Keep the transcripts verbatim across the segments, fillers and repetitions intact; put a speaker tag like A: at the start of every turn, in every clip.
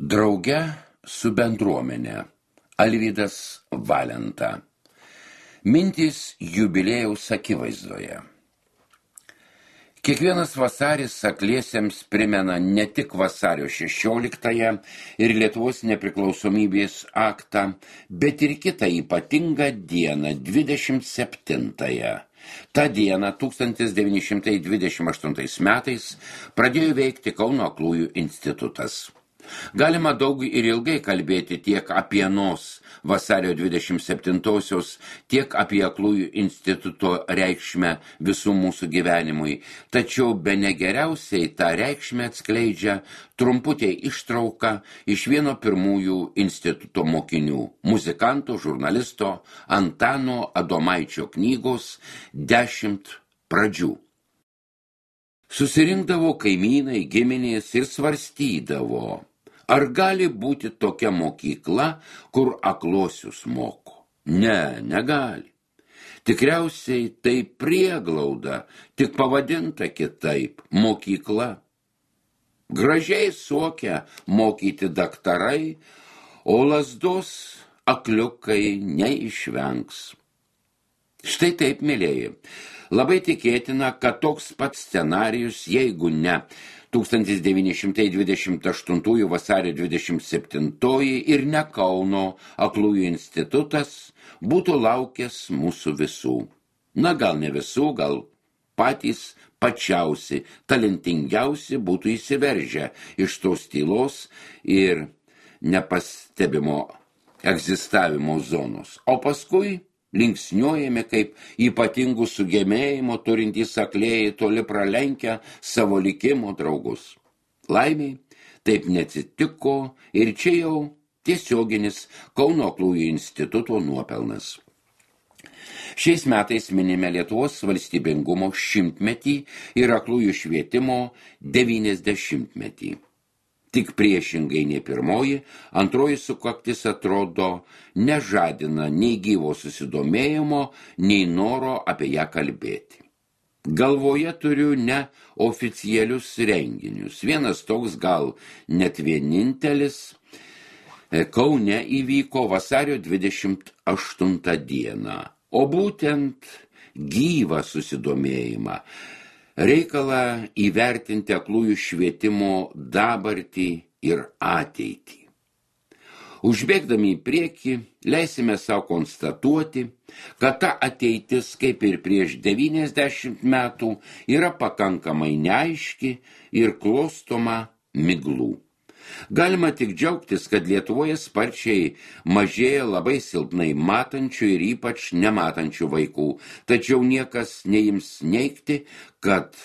A: Drauge su bendruomene. Alvydas Valenta. Mintys jubiliejaus akivaizdoje. Kiekvienas vasaris akliesiems primena ne tik vasario šešioliktąją ir Lietuvos nepriklausomybės aktą, bet ir kitą ypatingą dieną, dvidešimt septintąją. Ta diena tūkstantis devyni šimtai dvidešimt aštuntais metais pradėjo veikti Kauno aklųjų institutas. Galima daug ir ilgai kalbėti tiek apie anos vasario dvidešimt septintosios, tiek apie aklųjų instituto reikšmę visų mūsų gyvenimui, tačiau bene geriausiai tą reikšmę atskleidžia trumputė ištrauka iš vieno pirmųjų instituto mokinių, muzikanto, žurnalisto Antano Adomaičio knygos Dešimt pradžių. Susirinkdavo kaimynai, giminės ir svarstydavo, ar gali būti tokia mokykla, kur aklosius moko? Ne, negali. Tikriausiai tai prieglauda, tik pavadinta kitaip – mokykla. Gražiai suokia mokyti daktarai, o lazdos akliukai neišvengs. Štai taip, mėlėjai. Labai tikėtina, kad toks pats scenarijus, jeigu ne tūkstantis devyni šimtai dvidešimt aštuntųjų vasario dvidešimt septintoji ir ne Kauno aklųjų institutas, būtų laukęs mūsų visų. Na, gal ne visų, gal patys pačiausi, talentingiausi būtų įsiveržę iš tos tylos ir nepastebimo egzistavimo zonos. O paskui linksniuojame kaip ypatingų sugebėjimų turintys aklieji toli pralenkę savo likimo draugus. Laimiai, taip neatsitiko ir čia jau tiesioginis Kauno aklųjų instituto nuopelnas. Šiais metais minime Lietuvos valstybingumo šimtmetį ir aklųjų švietimo devyniasdešimtmetį. Tik priešingai nei pirmoji, antroji sukaktis atrodo nežadina nei gyvo susidomėjimo, nei noro apie ją kalbėti. Galvoje turiu ne oficialius renginius. Vienas toks gal net vienintelis Kaune įvyko vasario dvidešimt aštuntą dieną, o būtent gyvą susidomėjimą. Reikalą įvertinti aklųjų švietimo dabartį ir ateitį. Užbėgdami į priekį, leisime savo konstatuoti, kad ta ateitis, kaip ir prieš devyniasdešimt metų, yra pakankamai neaiški ir klostoma miglų. Galima tik džiaugtis, kad Lietuvoje sparčiai mažėja labai silpnai matančių ir ypač nematančių vaikų, tačiau niekas neims neigti, kad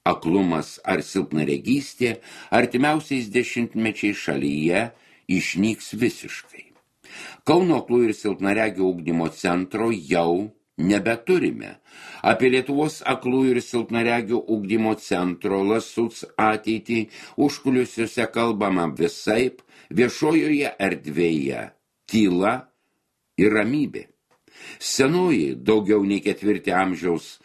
A: aklumas ar silpnaregystė artimiausiais dešimtmečiais šalyje išnyks visiškai. Kauno aklųjų ir silpnaregių ugdymo centro jau nebeturime. Apie Lietuvos aklųjų ir silpnaregių ugdymo centro Lasuc ateitį užkulisiuose kalbama visaip, viešojoje erdvėje tyla ir ramybė. Senoji, daugiau nei ketvirtį amžiaus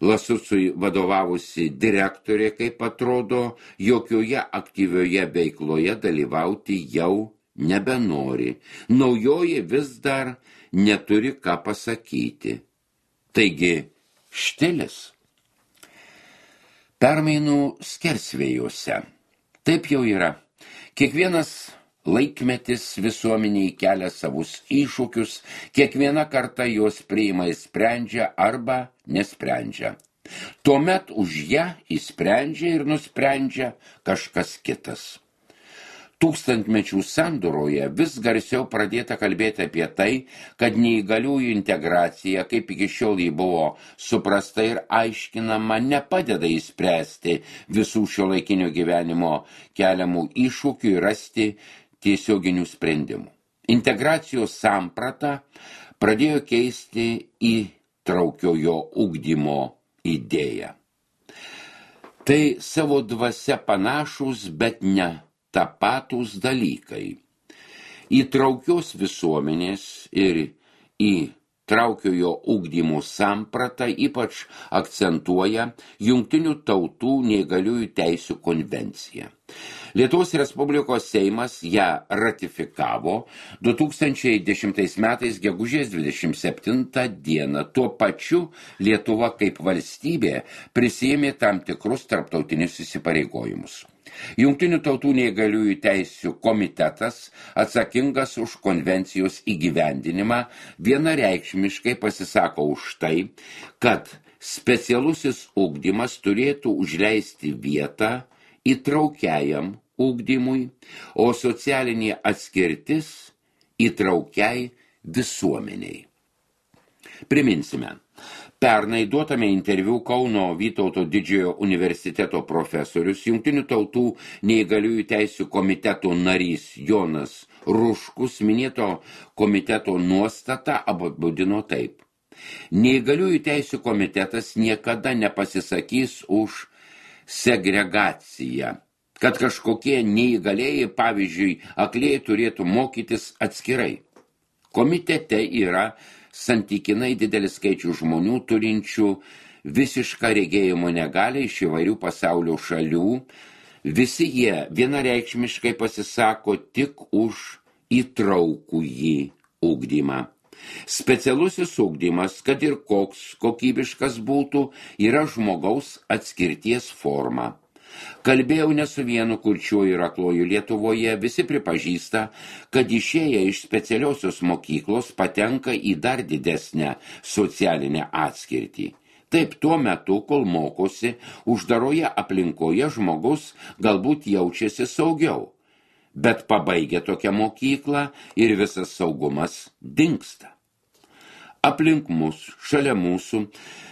A: Lasucui vadovavusi direktorė, kaip atrodo, jokioje aktyvioje veikloje dalyvauti jau nebenori. Naujoji vis dar neturi ką pasakyti. Taigi, štilis. Permainų skersvėjuose. Taip jau yra. Kiekvienas laikmetis visuomeniai kelia savus iššūkius, kiekviena karta juos priima ir sprendžia arba nesprendžia. Tuomet už ją įsprendžia ir nusprendžia kažkas kitas. Tūkstantmečių sandūroje vis garsiau pradėta kalbėti apie tai, kad neįgaliųjų integracija, kaip iki šiol jį buvo suprasta ir aiškinama, nepadeda įspręsti visų šiuolaikinio gyvenimo keliamų iššūkių ir rasti tiesioginių sprendimų. Integracijos samprata pradėjo keisti įtraukiojo ugdymo idėją. Tai savo dvasia panašus, bet ne tapatūs dalykai. Įtraukios visuomenės ir įtraukiojo ugdymo sampratą ypač akcentuoja Jungtinių tautų neįgaliųjų teisių konvencija. Lietuvos Respublikos Seimas ją ratifikavo du tūkstančiai dešimtais metais gegužės dvidešimt septintą dieną. Tuo pačiu Lietuva kaip valstybė prisiėmė tam tikrus tarptautinius įsipareigojimus. Jungtinių tautų neįgaliųjų teisių komitetas, atsakingas už konvencijos įgyvendinimą, vienareikšmiškai pasisako už tai, kad specialusis ugdymas turėtų užleisti vietą įtraukiajam ugdymui, o socialinė atskirtis įtraukiai visuomeniai. Priminsime, pernai duotame interviu Kauno Vytauto didžiojo universiteto profesorius, Jungtinių tautų neįgaliųjų teisių komiteto narys Jonas Ruškus minėto komiteto nuostatą apibūdino taip. Neįgaliųjų teisių komitetas niekada nepasisakys už segregaciją, kad kažkokie neįgalėjai, pavyzdžiui, aklėjai turėtų mokytis atskirai. Komitete yra santykinai didelis skaičių žmonių turinčių visišką regėjimo negalią iš įvairių pasaulio šalių. Visi jie vienareikšmiškai pasisako tik už įtraukųjį ugdymą. Specialusis ugdymas, kad ir koks kokybiškas būtų, yra žmogaus atskirties forma. Kalbėjau ne su vienu kurčiuoju ir akluoju Lietuvoje, visi pripažįsta, kad išėję iš specialiosios mokyklos patenka į dar didesnę socialinę atskirtį. Taip tuo metu, kol mokosi, uždaroje aplinkoje žmogus galbūt jaučiasi saugiau, bet pabaigia tokią mokyklą ir visas saugumas dingsta. Aplink mus, šalia mūsų,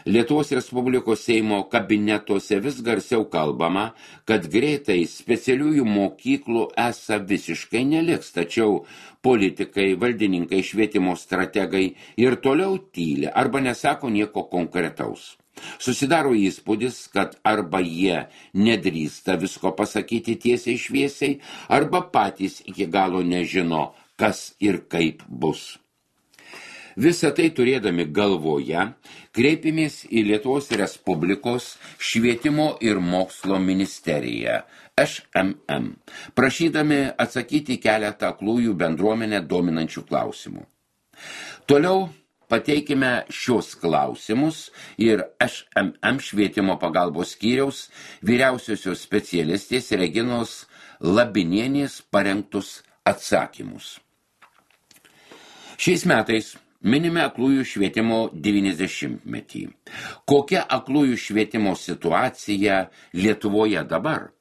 A: Lietuvos Respublikos Seimo kabinetuose vis garsiau kalbama, kad greitai specialiųjų mokyklų esą visiškai neliks, tačiau politikai, valdininkai, švietimo strategai ir toliau tyli arba nesako nieko konkretaus. Susidaro įspūdis, kad arba jie nedrįsta visko pasakyti tiesiai šviesiai, arba patys iki galo nežino, kas ir kaip bus. Visą tai turėdami galvoje, kreipimės į Lietuvos Respublikos švietimo ir mokslo ministeriją, Š M M, prašydami atsakyti keletą aklųjų bendruomenę dominančių klausimų. Toliau pateikime šios klausimus ir Š M M švietimo pagalbos skyriaus vyriausiosios specialistės Reginos Labinienės parengtus atsakymus. Šiais metais minime aklųjų švietimo devyniasdešimtmetį. Kokia aklųjų švietimo situacija Lietuvoje dabar?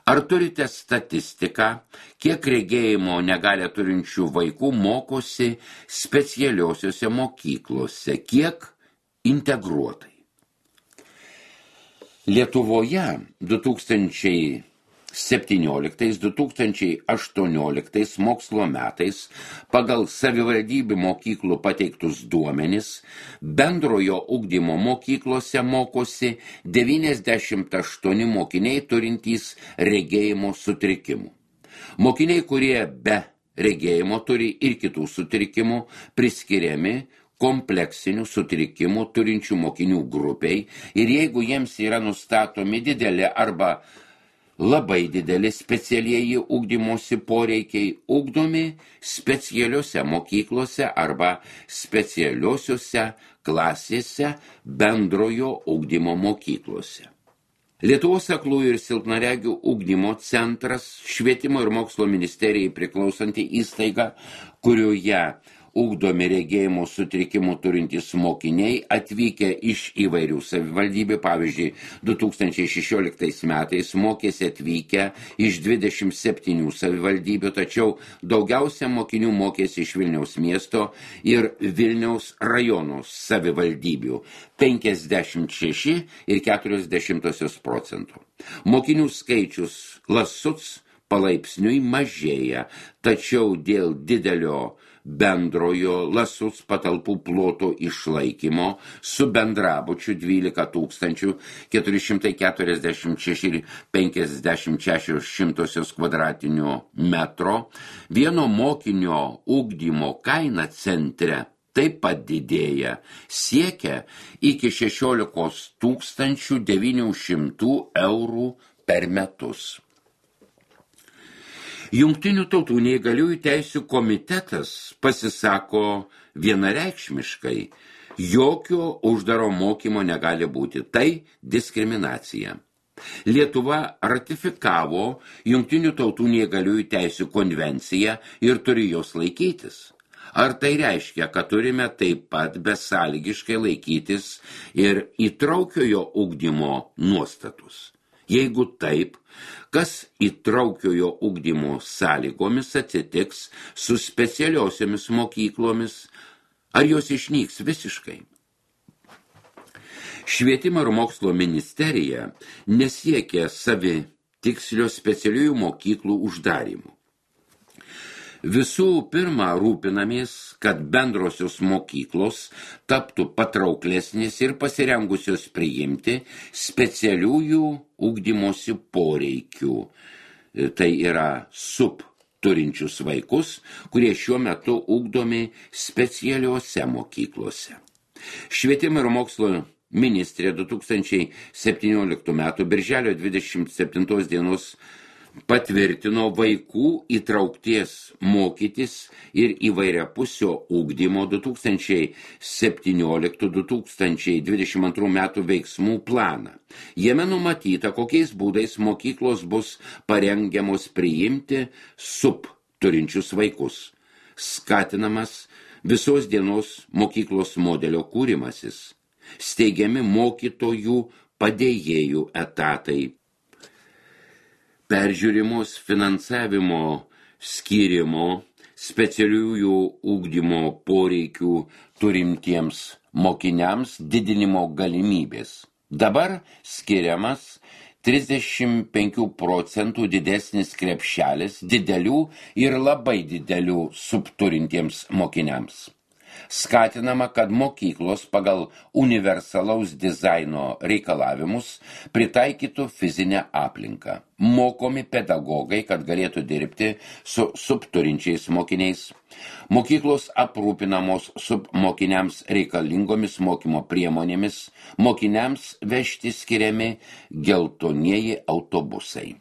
A: Ar turite statistiką, kiek regėjimo negalią turinčių vaikų mokosi specialiosiose mokyklose, kiek integruotai? Lietuvoje du tūkstančiai septynioliktais du tūkstančiai aštuonioliktais mokslo metais pagal savivaldybių mokyklų pateiktus duomenis bendrojo ugdymo mokyklose mokosi devyniasdešimt aštuoni mokiniai turintys regėjimo sutrikimų. Mokiniai, kurie be regėjimo turi ir kitų sutrikimų, priskiriami kompleksinių sutrikimų turinčių mokinių grupiai ir jeigu jiems yra nustatomi dideli arba labai dideli specialieji ugdymosi poreikiai, ugdomi specialiuose mokyklose arba specialiuosiuose klasėse bendrojo ugdymo mokyklose. Lietuvos aklųjų ir silpnaregių ugdymo centras, švietimo ir mokslo ministerijai priklausanti įstaiga, kurioje ugdomi regėjimo sutrikimų turintys mokiniai atvykę iš įvairių savivaldybių, pavyzdžiui, du tūkstančiai šešioliktais metais mokėsi atvykę iš dvidešimt septynių savivaldybių, tačiau daugiausia mokinių mokėsi iš Vilniaus miesto ir Vilniaus rajono savivaldybių – penkiasdešimt šeši ir keturios dešimtosios procentų. Mokinių skaičius Lasuc palaipsniui mažėja, tačiau dėl didelio bendrojo Lasuc patalpų ploto išlaikymo su bendrabučiu dvylika tūkstančių keturi šimtai keturiasdešimt šeši ir penkiasdešimt šešios šimtosios kvadratinio metro, vieno mokinio ugdymo kaina centre taip pat didėja, siekia iki šešiolikos tūkstančių devynių šimtų eurų per metus. Jungtinių tautų neįgaliųjų teisių komitetas pasisako vienareikšmiškai, jokio uždaro mokymo negali būti, tai diskriminacija. Lietuva ratifikavo Jungtinių tautų neįgaliųjų teisių konvenciją ir turi jos laikytis. Ar tai reiškia, kad turime taip pat besąlygiškai laikytis ir įtraukiojo ugdymo nuostatus? Jeigu taip, kas įtraukiojo ugdymo sąlygomis atsitiks su specialiosiomis mokyklomis, ar jos išnyks visiškai? Švietimo ir mokslo ministerija nesiekia savi tikslio specialiųjų mokyklų uždarimų. Visų pirma, rūpinamės, kad bendrosios mokyklos taptų patrauklesnės ir pasirengusios priimti specialiųjų ugdymosi poreikių. Tai yra sub turinčius vaikus, kurie šiuo metu ugdomi specialiuose mokyklose. Švietimo ir mokslo ministrė du tūkstančiai septynioliktų metų birželio dvidešimt septintos dienos patvirtino vaikų įtraukties mokytis ir įvairiapusio ugdymo du tūkstančiai septynioliktų du tūkstančiai dvidešimt antrų metų veiksmų planą. Jame numatyta, kokiais būdais mokyklos bus parengiamos priimti sub turinčius vaikus. Skatinamas visos dienos mokyklos modelio kūrimasis. Steigiami mokytojų padėjėjų etatai. Peržiūrimos finansavimo skyrimo specialiųjų ugdymo poreikių turimtiems mokiniams didinimo galimybės. Dabar skiriamas trisdešimt penkių procentų didesnis krepšelis didelių ir labai didelių subturintiems mokiniams. Skatinama, kad mokyklos pagal universalaus dizaino reikalavimus pritaikytų fizinę aplinką. Mokomi pedagogai, kad galėtų dirbti su subturinčiais mokiniais. Mokyklos aprūpinamos submokiniams reikalingomis mokymo priemonėmis, mokiniams vežti skiriami geltonieji autobusai.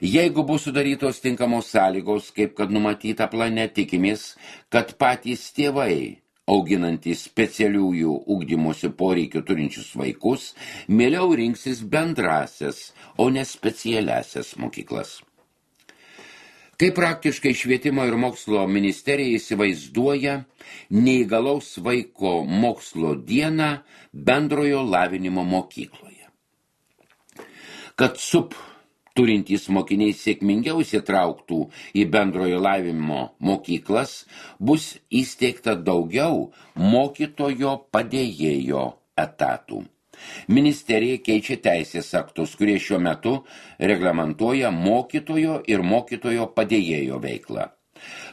A: Jeigu bus sudarytos tinkamos sąlygos, kaip kad numatyta plane, tikimės, kad patys tėvai, auginantys specialiųjų ugdymosi poreikių turinčius vaikus, mieliau rinksis bendrasias, o ne specialiasias mokyklas. Kaip praktiškai švietimo ir mokslo ministerija įsivaizduoja neįgalaus vaiko mokslo dieną bendrojo lavinimo mokykloje. Kad sub turintys mokiniai sėkmingiau įsitrauktų į bendrojo lavinimo mokyklas, bus įsteigta daugiau mokytojo padėjėjo etatų. Ministerija keičia teisės aktus, kurie šiuo metu reglamentuoja mokytojo ir mokytojo padėjėjo veiklą.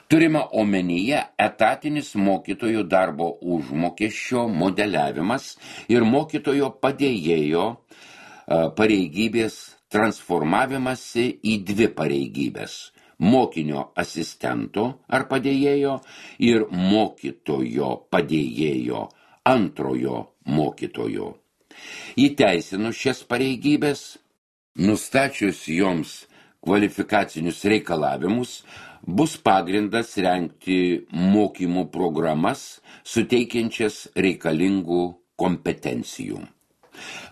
A: Turima omenyje etatinis mokytojų darbo užmokesčio modeliavimas ir mokytojo padėjėjo pareigybės transformavimasi į dvi pareigybės – mokinio asistento ar padėjėjo ir mokytojo padėjėjo, antrojo mokytojo. Įteisinus šias pareigybės, nustačius joms kvalifikacinius reikalavimus, bus pagrindas rengti mokymų programas, suteikiančias reikalingų kompetencijų.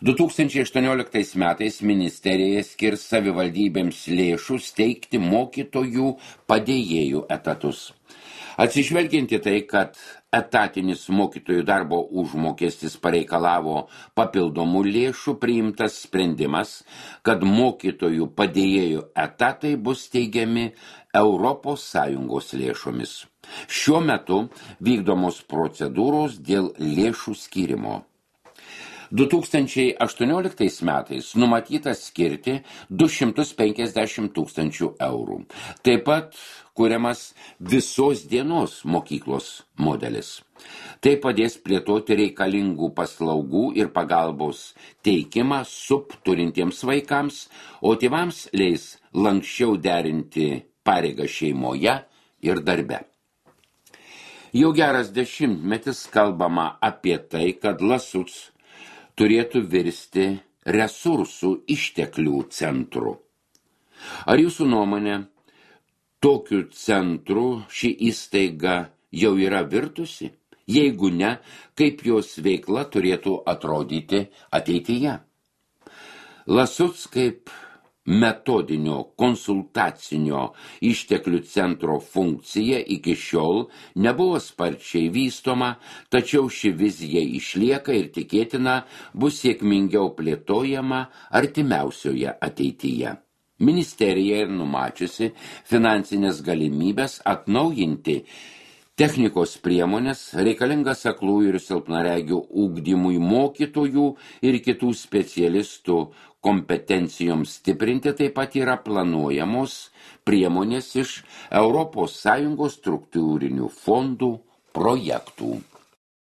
A: du tūkstančiai aštuonioliktais metais ministerija skirs savivaldybėms lėšų steigti mokytojų padėjėjų etatus. Atsižvelgiant į tai, kad etatinis mokytojų darbo užmokestis pareikalavo papildomų lėšų, priimtas sprendimas, kad mokytojų padėjėjų etatai bus steigiami Europos Sąjungos lėšomis. Šiuo metu vykdomos procedūros dėl lėšų skyrimo. du tūkstančiai aštuonioliktais metais numatyta skirti du šimtus penkiasdešimt tūkstančių eurų. Taip pat kuriamas visos dienos mokyklos modelis. Tai padės plėtoti reikalingų paslaugų ir pagalbos teikimą subturintiems vaikams, o tėvams leis lanksčiau derinti pareigą šeimoje ir darbe. Jau geras dešimtmetis kalbama apie tai, kad Lasuc turėtų virsti resursų išteklių centru. Ar jūsų nuomonė, tokiu centru ši įstaiga jau yra virtusi? Jeigu ne, kaip jos veikla turėtų atrodyti ateityje? Lasuc kaip metodinio konsultacinio išteklių centro funkcija iki šiol nebuvo sparčiai vystoma, tačiau ši vizija išlieka ir tikėtina bus sėkmingiau plėtojama artimiausioje ateityje. Ministerija ir numačiusi finansinės galimybės atnaujinti technikos priemonės reikalingas aklųjų ir silpnaregių ugdymui mokytojų ir kitų specialistų kompetencijoms stiprinti. Taip pat yra planuojamos priemonės iš Europos Sąjungos struktūrinių fondų projektų.